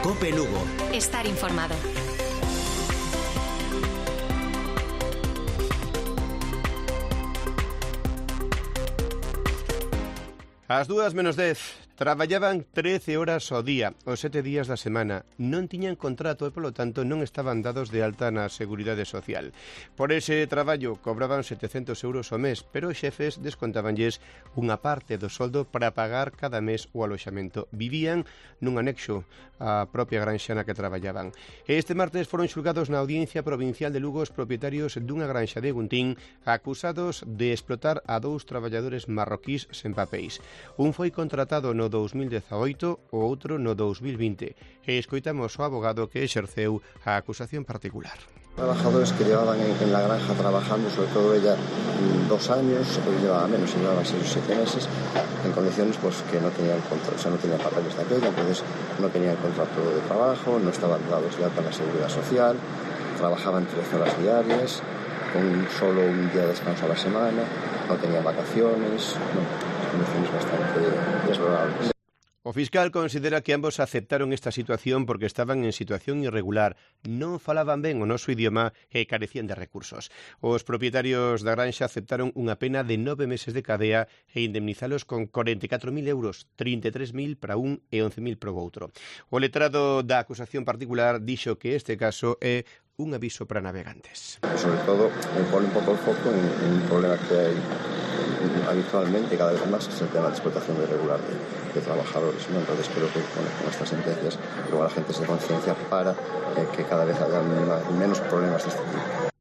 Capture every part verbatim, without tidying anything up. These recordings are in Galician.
Cope Lugo. Estar informado. Ás dúas menos dez, traballaban trece horas ao día, os sete días da semana. Non tiñan contrato e, polo tanto, non estaban dados de alta na Seguridade Social. Por ese traballo cobraban setecentos euros ao mes, pero os xefes descontabanlles unha parte do soldo para pagar cada mes o aloxamento. Vivían nun anexo á propia granxa na que traballaban. E este martes foron xulgados na Audiencia Provincial de Lugo os propietarios dunha granxa de Guntín acusados de explotar a dous traballadores marroquís sen papéis. Un foi contratado no dous mil dezaoito, o outro no dous mil vinte. E escoitamos o abogado que exerceu a acusación particular. Trabajadores que llevaban en, en la granja trabajando, sobre todo ella, dos años, hoy llevaba menos, llevaba seis o siete meses, en condiciones pues que no tenían contrato, o sea, no tenían papeles de aquella, entonces no tenían contrato de trabajo, no estaban dados de alta en la Seguridad Social, trabajaban trece horas diarias, con solo un día de descanso a la semana, no tenían vacaciones, no, condiciones bastante desfavorables. O fiscal considera que ambos aceptaron esta situación porque estaban en situación irregular, non falaban ben o noso idioma e carecían de recursos. Os propietarios da granxa aceptaron unha pena de nove meses de cadea e indemnizalos con corenta e catro mil euros, trinta e tres mil para un e once mil para o outro. O letrado da acusación particular dixo que este caso é un aviso para navegantes. Sobre todo, me pone un pouco el foco en, en un problema que hai habitualmente, cada vez más, es el tema de explotación irregular de, de trabajadores, ¿no? Entonces creo que con, con estas sentencias luego la gente se conciencia para eh, que cada vez haya menos problemas de este tipo.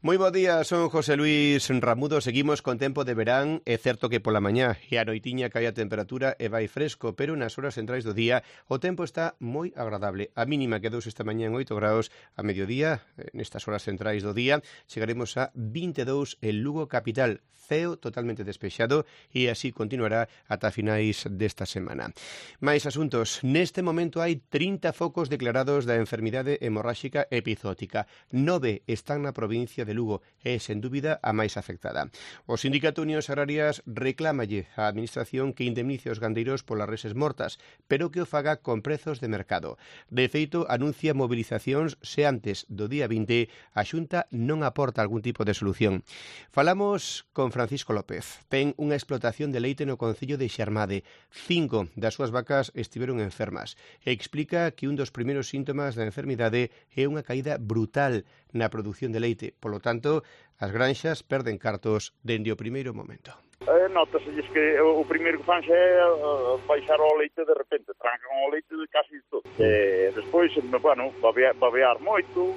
Moi bo día, son José Luis Ramudo. Seguimos con tempo de verán. É certo que pola mañá e a noitiña cae a temperatura e vai fresco, pero nas horas centrais do día o tempo está moi agradable. A mínima quedou esta mañá en oito graus, a mediodía, nestas horas centrais do día, chegaremos a vinte e dous en Lugo capital. Ceo totalmente despexado e así continuará ata finais desta semana. Mais asuntos. Neste momento hai trinta focos declarados da enfermidade hemorráxica epizótica. Nove están na provincia de Lugo é, sen dúbida, a máis afectada. O Sindicato Unións Agrarias reclámalle á Administración que indemnice os gandeiros polas reses mortas, pero que o faga con prezos de mercado. De feito, anuncia movilizacións se antes do día vinte a Xunta non aporta algún tipo de solución. Falamos con Francisco López. Ten unha explotación de leite no concello de Xermade. Cinco das súas vacas estiveron enfermas. E explica que un dos primeiros síntomas da enfermidade é unha caída brutal na produción de leite. Polo tanto, as granxas perden cartos dende o primeiro momento. Eh, Nota-se que o primeiro que fan xa é uh, baixar o leite de repente, trancan o leite de casi todo. E despois, bueno, babear, babear moito,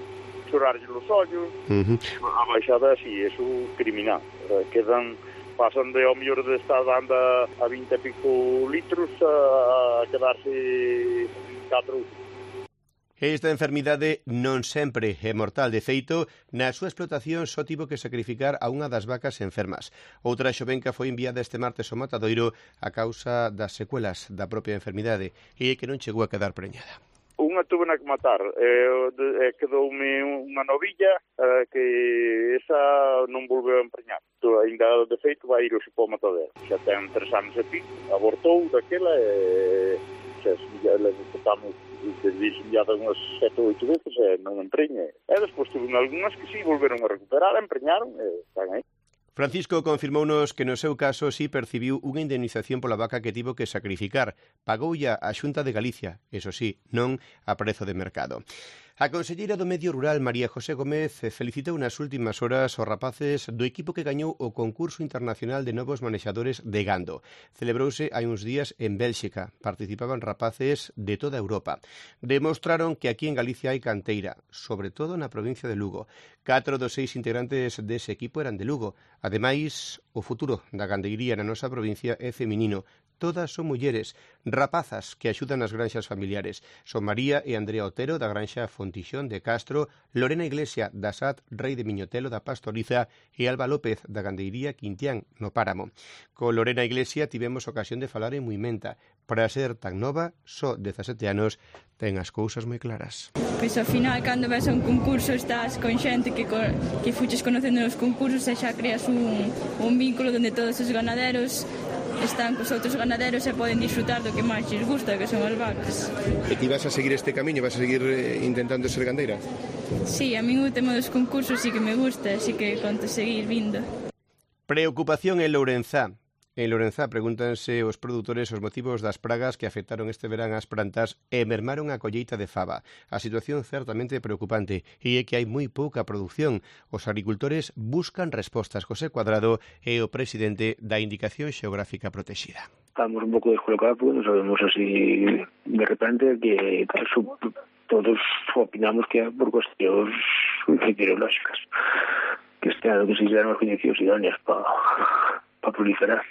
chorarlle os ollos, uh-huh. A baixada así, é criminal. Eh, quedan, pasan de ao mellor de estar dando a vinte e pico litros a, a quedarse catro. Esta enfermidade non sempre é mortal. De feito, na súa explotación só tivo que sacrificar a unha das vacas enfermas. Outra xovenca foi enviada este martes ao matadoiro a causa das secuelas da propia enfermidade e que non chegou a quedar preñada. Unha tuve na que matar, eh, eh, quedoume unha novilla eh, que esa non volveu a empreñar. Ainda de feito vai ir hoxe para o matadero. Xa ten tres anos e pico, abortou daquela e xa le botamos desviada unhas sete ou oito veces e non empreña. E despois tuve algunhas que sí volveron a recuperar, a empreñaron e están aí. Francisco confirmounos que no seu caso sí percibiu unha indemnización pola vaca que tivo que sacrificar. Pagoulla a Xunta de Galicia, eso sí, non a prezo de mercado. A conselleira do Medio Rural, María José Gómez, felicitou nas últimas horas os rapaces do equipo que gañou o concurso internacional de novos manexadores de gando. Celebrouse hai uns días en Bélxica. Participaban rapaces de toda Europa. Demostraron que aquí en Galicia hai canteira, sobre todo na provincia de Lugo. Catro dos seis integrantes dese equipo eran de Lugo. Ademais, o futuro da gandeiría na nosa provincia é feminino. Todas son mulleres, rapazas que axudan nas granxas familiares. Son María e Andrea Otero da granxa Fontixón de Castro, Lorena Iglesia da S A T Rei de Miñotelo da Pastoriza e Alba López da gandeiría Quintián no Páramo. Con Lorena Iglesia tivemos ocasión de falar en Muimenta. Para ser tan nova, só dezasete anos, ten as cousas moi claras. Pois ao final, cando ves a un concurso, estás con xente que, que fuches conocendo nos concursos e xa creas un, un vínculo onde todos os ganaderos están cos outros ganaderos e poden disfrutar do que máis lles gusta, que son as vacas. E ti vas a seguir este camiño? Vas a seguir eh, intentando ser gandeira? Sí, a min o tema dos concursos sí que me gusta, así que conto seguir vindo. Preocupación en Lourenzá. En Lourenzá pregúntanse os produtores os motivos das pragas que afectaron este verán as plantas e mermaron a colleita de faba. A situación certamente preocupante e é que hai moi pouca produción. Os agricultores buscan respostas. José Cuadrado é o presidente da Indicación Xeográfica Protexida. Estamos un pouco descolocados porque non sabemos así de repente que todos opinamos que é por cuestións meteorológicas, que este ano que se fixeron as condicións idóneas para pa proliferar.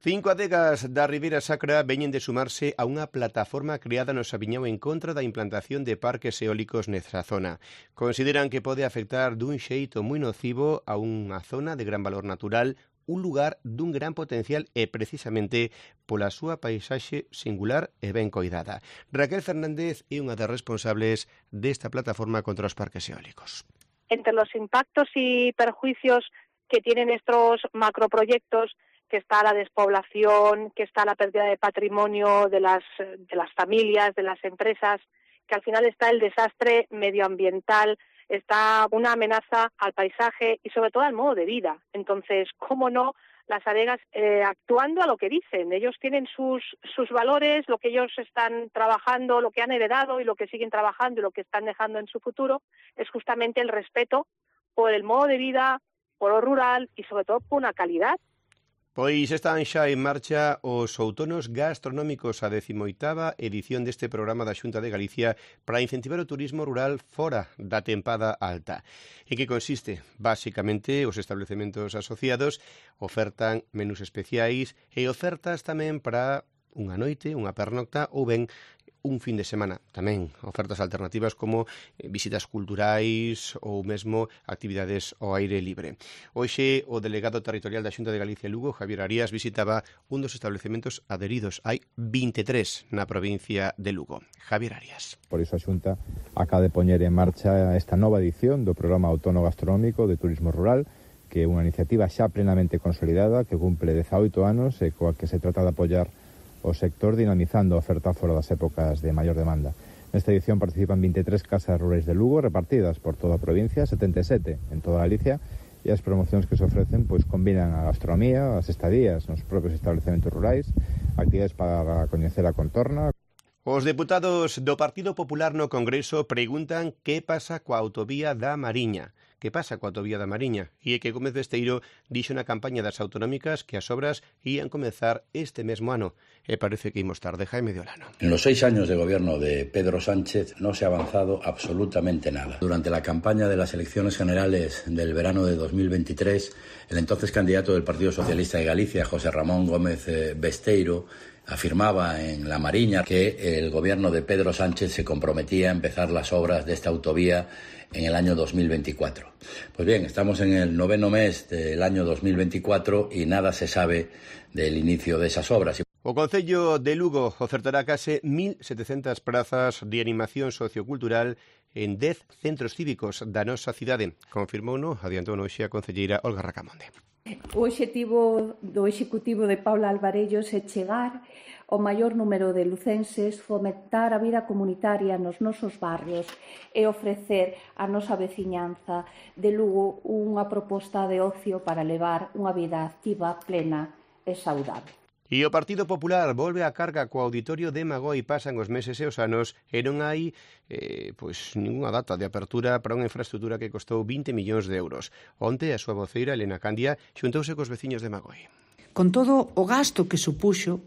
Cinco adegas da Ribeira Sacra veñen de sumarse a unha plataforma creada no Sabiñao en contra da implantación de parques eólicos nesa zona. Consideran que pode afectar dun xeito moi nocivo a unha zona de gran valor natural, un lugar dun gran potencial e precisamente pola súa paisaxe singular e ben coidada. Raquel Fernández é unha das responsables desta plataforma contra os parques eólicos. Entre los impactos y perjuicios que tienen estos macroproyectos, que está la despoblación, que está la pérdida de patrimonio de las, de las familias, de las empresas, que al final está el desastre medioambiental, está una amenaza al paisaje y sobre todo al modo de vida. Entonces, ¿cómo no las adegas eh, actuando a lo que dicen? Ellos tienen sus, sus valores, lo que ellos están trabajando, lo que han heredado y lo que siguen trabajando y lo que están dejando en su futuro es justamente el respeto por el modo de vida, por lo rural y sobre todo por una calidad. Pois están xa en marcha os outonos gastronómicos, a decimoitava edición deste programa da Xunta de Galicia para incentivar o turismo rural fora da tempada alta. En que consiste? Básicamente, os establecementos asociados ofertan menús especiais e ofertas tamén para unha noite, unha pernocta ou ben un fin de semana. Tamén ofertas alternativas como visitas culturais ou mesmo actividades ao aire libre. Hoxe o delegado territorial da Xunta de Galicia Lugo, Javier Arias, visitaba un dos establecementos adheridos. Hai vinte e tres na provincia de Lugo. Javier Arias. Por iso a Xunta acaba de poñer en marcha esta nova edición do Programa Autónomo Gastronómico de Turismo Rural, que é unha iniciativa xa plenamente consolidada que cumple dezaoito anos e coa que se trata de apoiar o sector dinamizando a oferta fora das épocas de maior demanda. Nesta edición participan vinte e tres casas rurais de Lugo repartidas por toda a provincia, setenta e sete en toda Galicia, e as promocións que se ofrecen pois combinan a gastronomía, as estadías nos propios establecementos rurais, actividades para coñecer a contorna. Os deputados do Partido Popular no Congreso preguntan que pasa coa autovía da Mariña. Que pasa coa autovía da Mariña? E é que Gómez Besteiro dixo na campaña das autonómicas que as obras ían comezar este mesmo ano. E parece que imos tarde. Jaime de Olano. En los seis años de gobierno de Pedro Sánchez no se ha avanzado absolutamente nada. Durante la campaña de las elecciones generales del verano de dos mil veintitrés, el entonces candidato del Partido Socialista de Galicia, José Ramón Gómez Besteiro, afirmaba en La Mariña que el gobierno de Pedro Sánchez se comprometía a empezar las obras de esta autovía en el año dos mil veinticuatro. Pues bien, estamos en el noveno mes del año dos mil veinticuatro y nada se sabe del inicio de esas obras. O Concello de Lugo ofertará case mil setecentas prazas de animación sociocultural en dez centros cívicos da nosa cidade. Confirmouno, adiantou hoxe a concelleira Olga Racamonde. O obxectivo do Executivo de Paula Alvarellos é chegar ao maior número de lucenses, fomentar a vida comunitaria nos nosos barrios e ofrecer á nosa veciñanza de Lugo unha proposta de ocio para levar unha vida activa, plena e saudable. E o Partido Popular volve a carga co auditorio de Magoi. Pasan os meses e os anos e non hai eh, pois ninguna data de apertura para unha infraestructura que costou vinte millóns de euros. Onte a súa voceira, Elena Candia, xuntouse cos veciños de Magoi. Con todo o gasto que supuxo,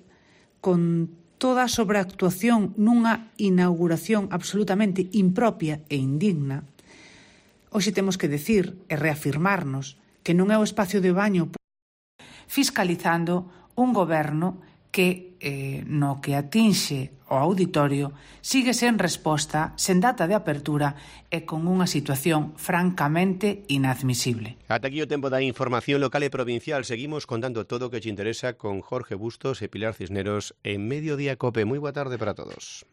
con toda a sobreactuación nunha inauguración absolutamente impropia e indigna, hoxe temos que decir e reafirmarnos que non é o espacio de baño fiscalizando un goberno que, eh, no que atinxe o auditorio, sigue sen resposta, sen data de apertura e con unha situación francamente inadmisible. Ata aquí o tempo da información local e provincial. Seguimos contando todo o que te interesa con Jorge Bustos e Pilar Cisneros en Mediodía Cope. Moi boa tarde para todos.